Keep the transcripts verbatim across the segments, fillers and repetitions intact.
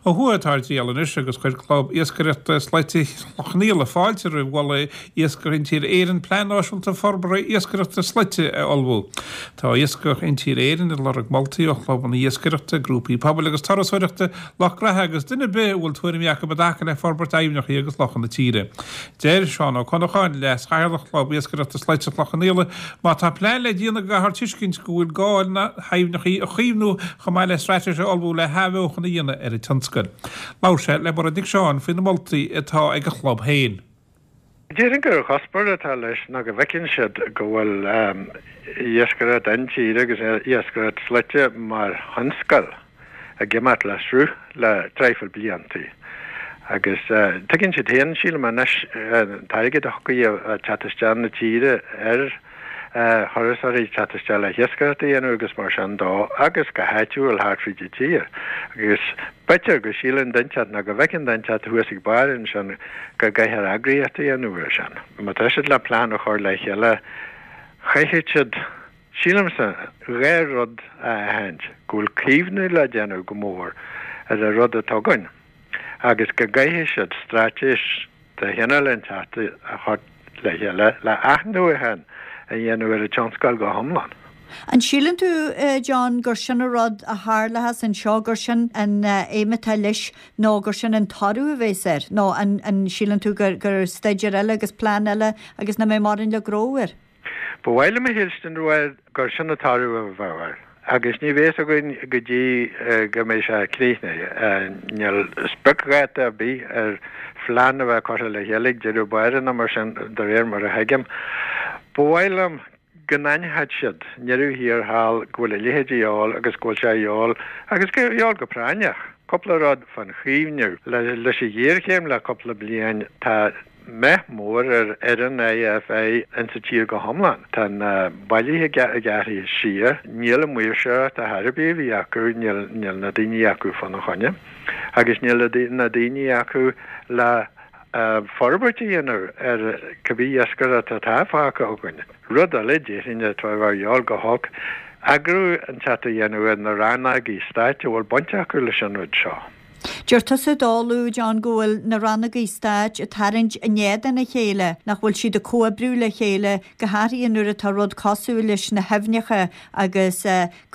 Ó thuaidh atá ar díol anois agus chuir Club Iascaireachta Slaite Chloich Cheann Fhaola fáilte roimh mholadh Iascach Intíre Éireann Plean Náisiúnta Forbartha Iascaireachta Slaite a ullmhú. Tá Iascach Intíre Éireann ag lorg moltaí ó chlubanna iascaireachta, grúpaí pobail agus turasóireachta lucht gnaithe agus duine ar bith a bhfuil tuairimí acu i dtaca le forbairt aibhneacha agus lochanna na tíre. Deir Seán Ó Conacháin leas-chathaoirleach Chlub Iascaireachta Slaite Chloich Cheann Fhaola má tá plean le déanamh go gcaithfear tuiscint go bhfuil gá na haibhneacha a chaomhnú chomh maith le straitéis a ullmhú le hathbheochan a dhéanamh ar an tionscal. Labhair sé le Mairéad Nic Seáin faoi na moltaí atá ag a chlub féin. Déarfainn gur cuspóir atá leis ná go bhfeiceann siad go bhfuil iascaireacht intíre agus iascaireacht slaite mar thionscal ag imeacht le sruth le traidhfil bliantaí. Agus tuigeann siad féin sílim anois an t-airgead a thiocfaidh ag teacht isteach na tíre ar thurasóirí teacht isteach le hiascaireacht a dhéanamh agus mar sin dó agus go háitiúil thart fríd an tír. Agus b'fhéidir go síleann duine inteacht nó go bhfeiceann duine inteacht thuas ag barr ansin go gcaithfear eagraíocht a dhéanamh air sin. Má tá siad le plean a chur le chéile chaithfidh siad sílimse dhá rud a aithint, go bhfuil caomhnú le déanamh go mór ar an rud atá againn agus go gcaithfidh siad straitéis de chineál inteacht a chur le chéile le athnuachan a dhéanamh ar an tionscal go hiomlán. An síleann tú John gur sin an rud a tharlós anseo gur sin an aidhm atá leis nó gur sin an toradh a bheas air nó an an síleann tú gur gur staidéar eile agus plean eile agus nach mbeidh mórán le gnó air? Ba mhaith liom a shílstin gur sin an toradh a bheadh air. Agus ní bheas againn go dtí go mbeidh sé críochnaithe. Níl spriocdháta ar bith ar phlean a bheith curtha le chéile ag deireadh báire nó mar sin de réir mar a thuigim. Ba mhaith liom go n-aithneodh siad i ndeireadh thiar thall go bhfuil a leithéid de dhíobháil agus go bhfuil sé a dhíobháil agus go dhíobháil go práinneach. Cúpla rud fán chaomhnú. Leis an ghéarchéim le cúpla bliain tá meath mór ar fhoireann IFI insa tír go hiomlán. Tá na bailithe gearrtha siar, níl an mhaoirseoireacht ar chor ar bith a bhí acu, níl níl na daoine acu fána choinne agus níl na daoine acu le forbairt a dhéanamh ar cibé iascaireacht atá fágtha againn. Rud eile déarfainn atá a dhíobháil go holc, eagrú inteacht a dhéanamh ar na rannógaí stáit a bhfuil baint acu leis an rud seo. Deir tusa dóla John go bhfuil na rannógaí stáit ag tarraingt in éadan a chéile nach bhfuil siad ag comhoibriú le chéile go háirithe nuair atá rud cosúil leis na haibhneacha agus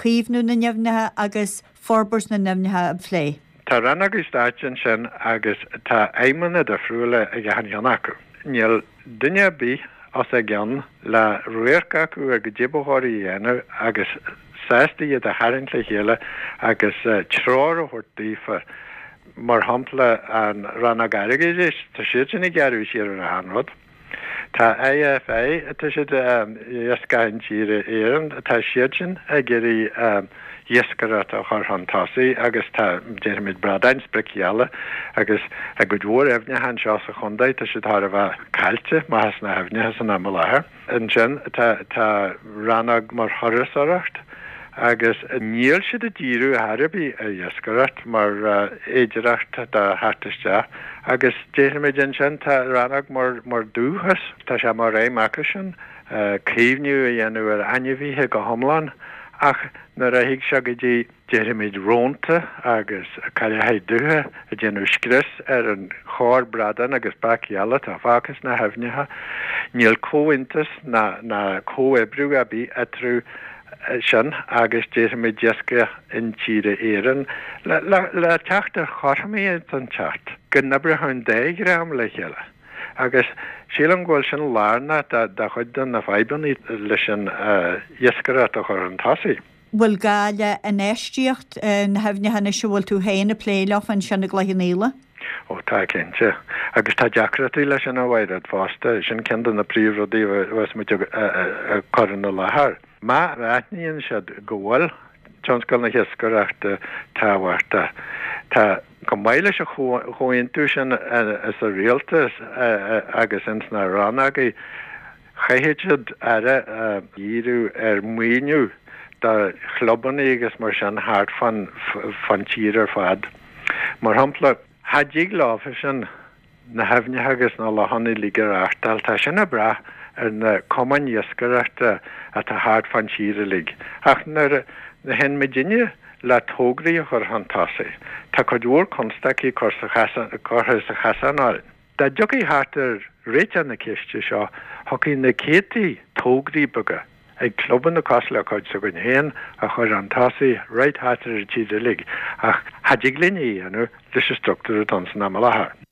caomhnú na n-aibhneacha agus forbairt na n-aibhneacha a phlé. Tá rannógaí stáit ansin agus tá aidhmeanna difriúla ag achan cheann acu. Níl duine ar bith os a gcionn le radharc acu ar goidé ba chóir a dhéanamh agus sásta iad a tharraingt le chéile agus treoir a thabhairt daofa. Mar shampla an rannóg airgeadais, tá siad sin ag gearradh siar ar achan rud. Tá IFI, tá siad Iascach Intíre Éireann, tá siad sin ag iarraidh iascaireacht a chur chun tosaigh agus tá déarfaimid bradáin spriocgheala agus i gcuid mhór aibhneacha anseo sa chontae tá siad thar a bheith caillte amach as na haibhneacha san am i láthair. Ansin tá tá rannóg mar thurasóireacht agus níl siad ag díriú ar chor ar bith ar iascaireacht mar fhéidearthacht do theacht isteach agus déarfaimid ansin tá rannóg mar mar dúchas, tá sé mar aidhm acu sin caomhnú a dhéanamh ar ainmhithe go hiomlán ach nuair a thig sé go dtí déarfaimid rónta agus cailleacha dubha ag déanamh scrios ar an chorr bradán agus breac geala atá fágtha sna haibhneacha, níl comhaontas ná ná comhoibriú ar bith eatarthu sin agus déarfaimid Iascach Intíre Éireann le le le teacht ar chothromaíocht inteacht, go n-oibreodh an dá dhream le chéile. Agus sílim go bhfuil sin lárnach do do chuid de na fadhbanna leis an iascaireacht a chur chun tosaigh. Bhfuil gá le infheistíocht na haibhneacha anois a bhfuil tú féin ag plé leo ansin i gCloich Cheann Fhaola? Ó tá cinnte. Agus tá deacrachtaí leis sin a Mhairéad fosta, sin ceann de na príomhrudaí a bheas muid ag cur ina láthair. Má aithníonn siad go bhfuil tionscal na hiascaireachta tábhachtach, tá chomh maith leis an chomhaontú sin sa rialtas agus ins na rannógaí, chaithfidh siad aire a dhíriú ar mhaoiniú do chlubanna agus mar sin thart fán fán tír ar fad. Mar shampla, cha dtig leofa sin na haibhneacha agus na lochanna uilig a reáchtáil, tá sin ag brath ar na cumainn iascaireachta atá thart fán tír uilig. Ach nuair a théann muidinne le tograí a chur chun tosaigh. Tá cuid mhór constaicí curtha sa chasán orainn. Dá dtiocfaí thart ar réiteach na ceiste seo, thiocfadh na céadtaí tograí beaga ag clubanna cosúil le cuid s'againn féin a chur chun tosaigh right thart ar an tír uilig, ach cha dtig linn é a dhéanamh leis an struchtúr atá ann san am i láthair.